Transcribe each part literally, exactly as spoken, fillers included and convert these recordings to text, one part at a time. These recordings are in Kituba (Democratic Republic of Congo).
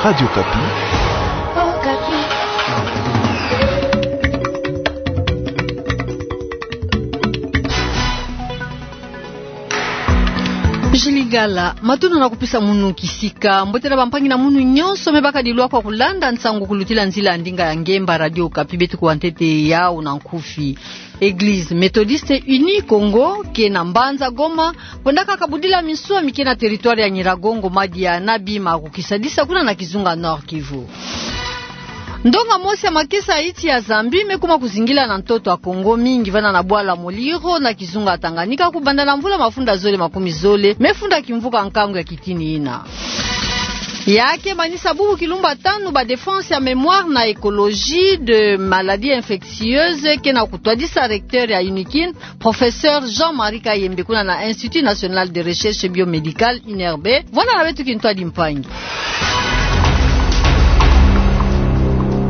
Radio Kapi. Julie Gala, matondo na kupesa munu kisika. Mbote na bampangi na munu nyonso me baka dilwa kwa kulanda nsangu kulutila nzila ya ndinga ya ngemba Radio Kapi, beto kuwa ntete yau na nkufi. Église Méthodiste Unie Kongo, ke na mbanza Goma, kwendaka kabudila minswa mi ke na territoire ya Nyiragongo madia na bima ya kukisadisa kuna na kizunga Nord-Kivu. Ndonga mosi ya makesa ya iti ya Zambie me kuma kuzingila na ntoto ya Kongo, mingi vana na bwala Muliro na kizunga Tanganyika, kubanda na mvula mafunda zole makumi zole, me funda kimvuka nkangu ya kitini yina. Ya ke manisa bubu kilumbu tanu ba défense ya mémoire na écologie de maladies infectieuses, ke na kutwadisa recteur ya UNIKIN, professeur Jean-Marie Kayembe, kuna na Institut National de Recherche Biomédicale, INRB, vwanda na beto kintwadi mpangi.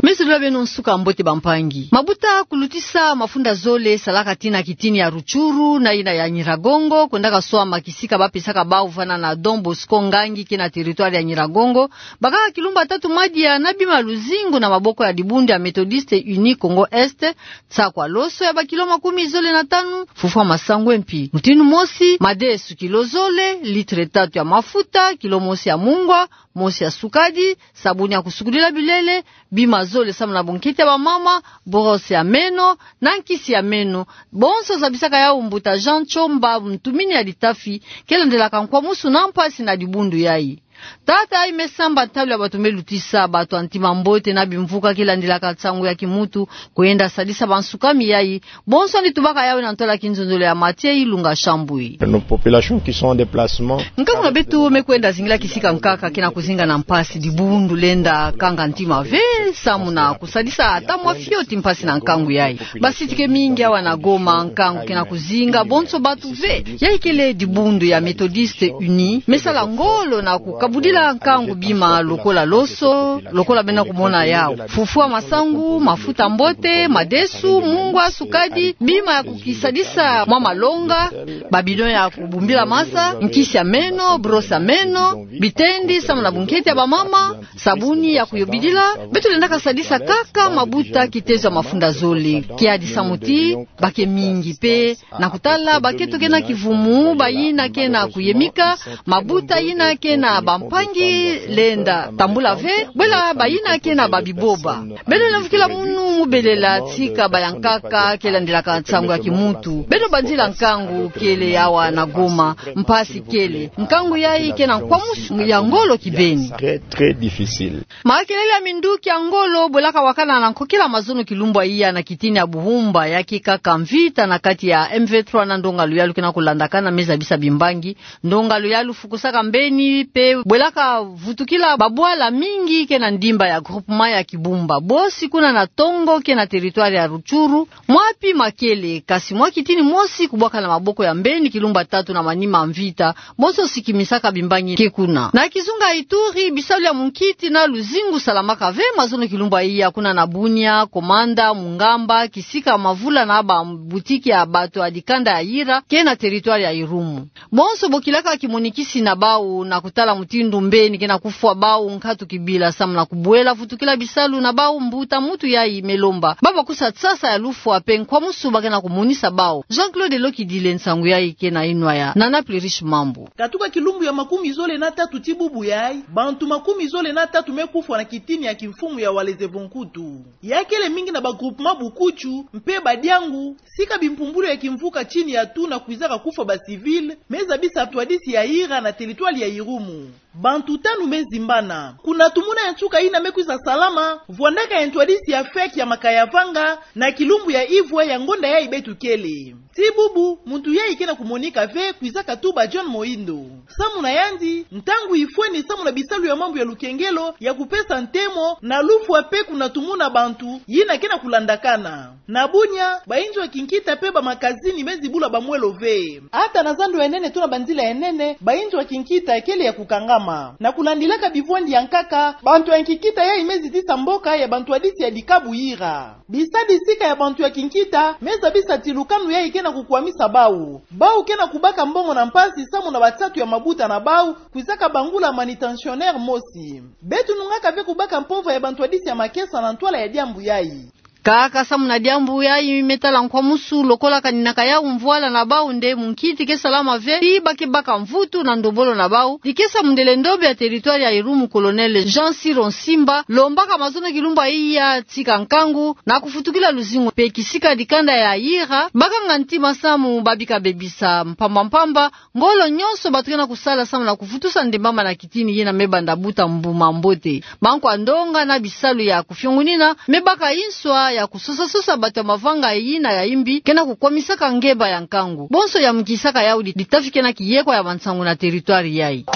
Mezololo beno nsuka mbote bampangi. Mabuta kulutisa mafunda zole salaka tii na kitini ya Rutshuru na yina ya Nyiragongo, kwendaka swama kisika bapesaka bau vana na Don Bosco Ngangi, ke na territoire ya Nyiragongo, bakaka kilumbu tatu madia na bima ya luzingu na maboko ya dibundu ya Méthodiste Unie Kongo Est, nsakwa loso ya bakilo makumi zole na tanu, fufwa masangu mpi. Mutindu mosi, madesu kilo zole, litre tatu ya mafuta, kilo mosi ya mungwa, mosi ya sukadi, sabuni ya kusukulila bilele, bima zole samu na bunkete ya bamama, brosse ya meno, na nkisi ya meno. Bonso zabisaka yau mbuta Jean Tshomba, ntumini ya litafi, ke landelaka nkwamusu na mpasi na dibundu yai. Tata yai me samba ntalu ya bato me lutisa bato ya ntima mbote na bimvuka ke landelaka nsangu ya kimuntu, kwenda sadisa bansukami yai. Bonso ni tubaka yau na ntwala kinzonzolo ya Mathieu Ilunga Shambwe. Nos populations qui sont en déplacement. Nkangu na beto me kwenda zingila kisika nkaka ke na kuzinga na mpasi, dibundu lenda kanga ntima ve samu na kusadisa ata mwa fioti mpasi na nkangu yai. Basiti ke mingi awa na Goma, nkangu ke na kuzinga bonso bato ve. Yai kele dibundu ya Méthodiste Unie me sala ngolo na kukabudila nkangu bima lokola loso, lokola beno kumona yau. Fufwa masangu, mafuta mbote, madesu, mungwa, sukadi, bima ya kukisadisa mwa malonga, ba bidon ya kubumbila masa, nkisi ya meno, brosse ya meno, bitendi samu na bunkete ya bamama, sabuni ya kuyobidila. Beto lendaka sadisa kaka mabuta kitezo ya mafunda zole. Kiadi samu ti ba ke mingi mpe na kutala ba ke toke na kivumu, bayina ke na kuyemika, mabuta yina ke na bampangi lenda tambula ve, bwela bayina ke na babiboba. Beno lemvukila munu mu belela tika bayankaka ke landelaka nsangu ya kimuntu. Beno banzila nkangu kele awa na Goma, mpasi kele. Nkangu yai ke na nkwamusu ya ngolo kibeni. Très, très difficile. Makelele ya minduki ya ngolo bwelaka wakana na nkokila mazono kilumbu ya iya na kitini ya Buhumba, ya ke kaka mvita na kati ya M vingt-trois na ndonga luyalu ke na kulandakana me zabisa bimbangi. Ndonga luyalu fukusaka mbeni mpe bwelaka vutukila babwala mingi ke na ndimba ya groupement ya Kibumba, bosi kuna na Tongo ke na territoire ya Rutshuru. Mwa pi makele, kasi mwa kitini mosi kubwaka na maboko ya mbeni kilumbu tatu na manima mvita, bonso sikimisaka bimbangi ke kuna. Na kizunga Ituri, bisalu ya munkiti na luzingu salamaka ve mazono kilumbu ya iya kuna na Bunia, Komanda, Mungamba, kisika mavula na ba butiki ya bato ya dikanda ya Ira, ke na territoire ya Irumu. Bonso bokilaka kimonikisi na bau na kutala mutindu mbeni ke na kufwa bau nkatu kibila samu na kubwela vutukila bisalu na bau, mbuta muntu yai me lomba ba bakusa nsasa ya lufwa mpe nkwamusu ba ke na kumonisa bau. Jean-Claude Lokidile, nsangu yai ke na inwa ya Nana Plurish Mambu. Katuka kilumbu ya makumi zole na tatu ti bubu yai, bantu makumi zole na tatu me kufwa na kitini ya kimfumu ya Walese Vonkutu. Ya kele mingi na ba groupement Bukutu mpe Badiangu, sika bimpumbulu ya kimvuka tini ya tuna kwizaka kufwa ba civil, me zabisa ntwadisi ya Ira na territoire ya Irumu. Bantu tanu me zimbana. Kuna tumuna ya nsuka yina me kwiza salama, vwandaka ya ntwadisi ya FEC ya Makaya-Vanga na kilumbu ya ivwa ya ngonda yai beto kele. Ti bubu, muntu yai ke na kumonika ve kwizaka tuba John Moindo. Samu na yandi, ntangu ifweni samu na bisalu ya mambu ya lukengelo ya kupesa ntemo na lufwa mpe kuna tumuna bantu yina ke na kulandakana. Na Bunia, bainzo ya kinkita mpe bamakazini me zibula bamwelo ve. Ata na zandu ya nene to na banzila ya nene, bainzo ya kinkita kele ya kukangama. Na kulandilaka bivwandi ya nkaka, bantu ya kinkita yai me zitisa mboka ya bantwadisi ya dikabu Ira. Bisabisika ya bantu ya kinkita me zabisa ti lukanu yayi ke na kukwamisa bau. Bau ke na kubaka mbongo na mpasi samu na batatu ya mabuta na bau kwizaka bangula manutentionnaire mosi. Beto nungaka ve kubaka mpova ya bantwadisi ya makesa na ntwala ya diambu yayi. Kaka samu na diambu yayi me tala nkwamusu, lokola kaninaka yau mvwala na bau nde munkiti ke salama ve, ti ba ke baka mvutu na ndombolo na bau. Dikesa mundele ndombe ya territoire ya Irumu, Colonel Jean Siro Nsimba, lombaka mazono kilumbu ya iya tika nkangu na kufutukila luzingu mpe kisika dikanda ya Ira bakanga ntima samu ba bika bebisa mpamba mpamba ngolo nyonso batu ke na kusala samu na kuvutusa ndembama na kitini yina me banda buta mbuma mbote. Bankwa ndonga na bisalu ya kufiongunina me baka inswa ya kusosa-sosa batu ya mavanga yina ya imbi ke na kukwamisaka ngemba ya nkangu. Bonso yamukisaka yau di-, ditafi ke na kiyekwa ya bansangu na territoire yayi.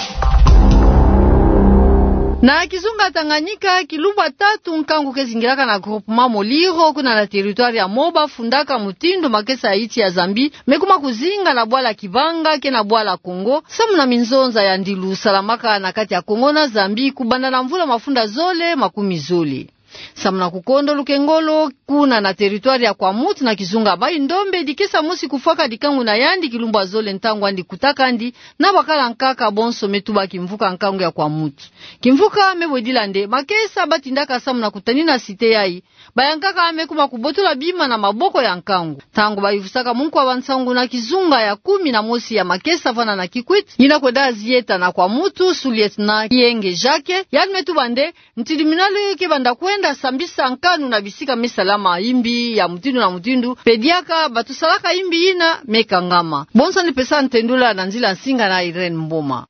Na kizunga Tanganyika, kilumbu ya tatu nkangu ke zingilaka na groupement Muliro kuna na territoire ya Moba fundaka mutindu makesa ya iti ya Zambie me kuma kuzinga na bwala Kibanga ke na bwala Congo, samu na minzonza ya ndilu salamaka na kati ya Congo na Zambie kubanda na mvula mafunda zole makumi zole. Samu na kukondo lukengolo, kuna na territoire ya Kwamouth na kizunga Bayi-Ndombe, dikesa mosi kufwaka dikangu na yandi kilumbu ya zole ntangu yandi kutakandi na bakala nkaka bonso me tuba kimvuka nkangu ya Kwamouth. Kimvuka me bwedila nde makesa batindaka samu na kutanina cité yayi, bayankaka me kuma kubotola bima na maboko ya nkangu. Ntangu bayuvusaka munkwa bansangu na kizunga ya kumi na mosi ya makesa vana na Kikwit, yina kwenda zieta na Kwamouth, sous-lieutenant Kienge Jacques, yandi me tuba nde, ntidiminalo ke banda kwenda sambisa nkanu na bisika me salama imbi ya mutindu na mutindu, mpe diaka batu salaka imbi yina me kangama. Bonso ni pesa ntendula na nzila nsinga na Irène Mboma.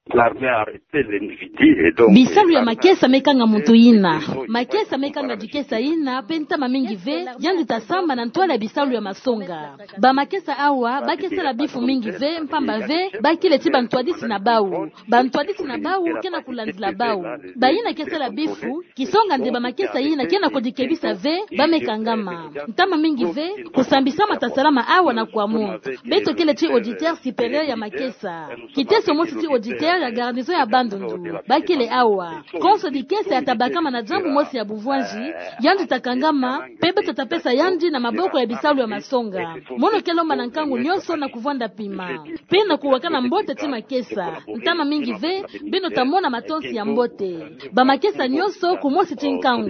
Bisalu ya makesa me kanga muntu yina. Makesa me kanga dikesa yina, mpe ntama mingi ve, yandi ta samba na ntwala ya bisalu ya masonga. Bamakesa awa, ba ke sala bifu mingi ve, mpamba ve, ba kele ti bantwadisi na bau. Bantwadisi na bau ke na kulandila bau. Bayina ke sala bifu, kisonga nde bamakesa yina ke na kudikebisa ve, ba me kangama. Ntama mingi ve, kusambisama ta salama awa na Kwamouth. Beto kele ti auditeur supérieur ya makesa. Kiteso mosi ti auditeur ya garnison ya Bandundu. Ba kele awa. Konso dikesa ya ta bakama na diambu mosi ya buvwanzi, yandi ta kangama, mpe beto ta pesa yandi na maboko ya bisalu ya masonga. Mono ke lomba na nkangu nyonso na kuvwanda pima mpe na kuwakana mbote ti makesa. Ntama mingi ve, beno ta mona matonsi ya mbote. Bamakesa nyonso kumosi ti nkangu.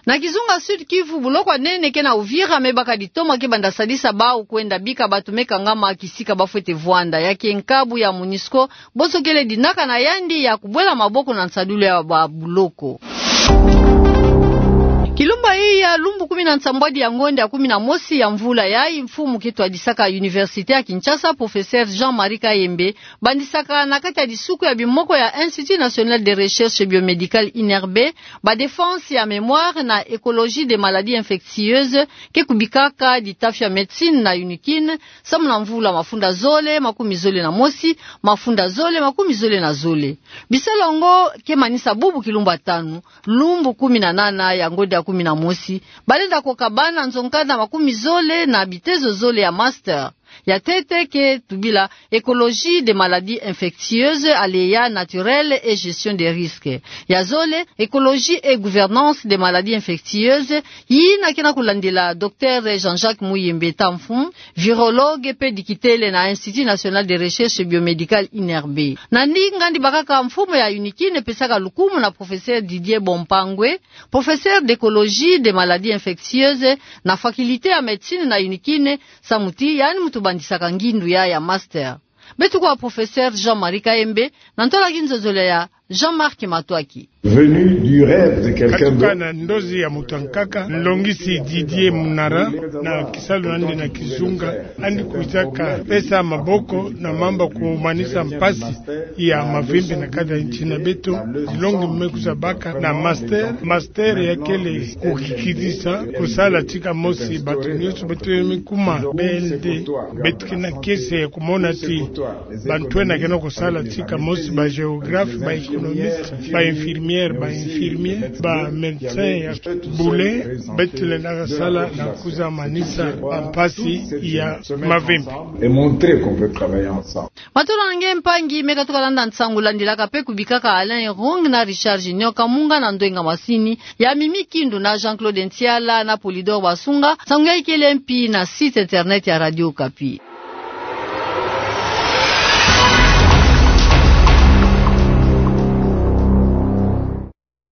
Na kizunga Sud-Kivu, buloko ya nene ke na Uvira me baka ditoma ke banda sadisa bau kwenda bika batu me kangama kisika bafwete vwanda. Ya ke nkabu ya MONUSCO, bonso kele dinaka na yandi ya kubwela maboko na nsadulu ya babuloko. Kilumbu ya iya, lumbu kumi na nsambwadi ya ngonde ya kumi na mosi ya mvula yayi, mfumu ke twadisaka Université ya Kinshasa, professeur Jean-Marie Kayembe, bandisaka na kati ya disuku ya bimoko ya Institut National de Recherche Biomédicale, INRB, ba défense ya mémoire na écologie des maladies infectieuses, ke kubikaka ditafi ya médecine na UNIKIN, samu na mvula mafunda zole makumi zole na mosi, mafunda zole makumi zole na zole. Bisalu yango ke manisa bubu kilumbu ya tanu, lumbu kumi na nana ya ngonde ya kumi na mosi, balenda koka bana nzo nkanda makumi zole na bitezo zole ya master. Ya ntete ke tubila écologie des maladies infectieuses, aléas naturels et gestion des risques. Ya zole, écologie et gouvernance des maladies infectieuses, yina ke na kulandila docteur Jean-Jacques Muyembe Tamfum, virologue mpe dikitele na Institut National de Recherche Biomédicale, INRB. Na ndinga yandi bakaka, mfumu ya UNIKIN pesaka lukumu na professeur Didier Bompangwe, professeur d'écologie des maladies infectieuses na faculté ya médecine na UNIKIN, samu ti yandi muntu bandisaka ngindu yayi ya master. Beto kwa professeur Jean-Marie Kayembe na ntola kinzozolo ya Jean-Marc Matwaki. Venu du rêve de quelqu'un d'autre. Katuka na ndozi ya muntu ya nkaka, nlongisi Didier Munara, na kisalu na yandi na kizunga, yandi kwizaka pesa maboko na mambu ya kumanisa mpasi ya mavimpi na kati ya nsi na beto. Dilongi me kwiza baka na master, master ya kele kukikidisa kusala tika mosi batu nyonso beto ya mikuma B L D. Beto ke na kiese ya kumona ti bantu ena ke na kusala tika mosi, ba géographe, ba Ba infirmière, ba infirmier, ba médecin ya bule, beto lenda kasala na kuza manisa bampasi ya mavimpi. Et montrer qu'on peut travailler ensemble. Matolo na nge mpangi, me katuka landa nsangu landilaka pe kubikaka Alain Rong na Richard Junior Kamunga na ndwenga masini ya Mimi Kindu na Jean-Claude Ntiala na Polydor Basunga. Nsangu ya ikele mpi na site internet ya Radio Okapi.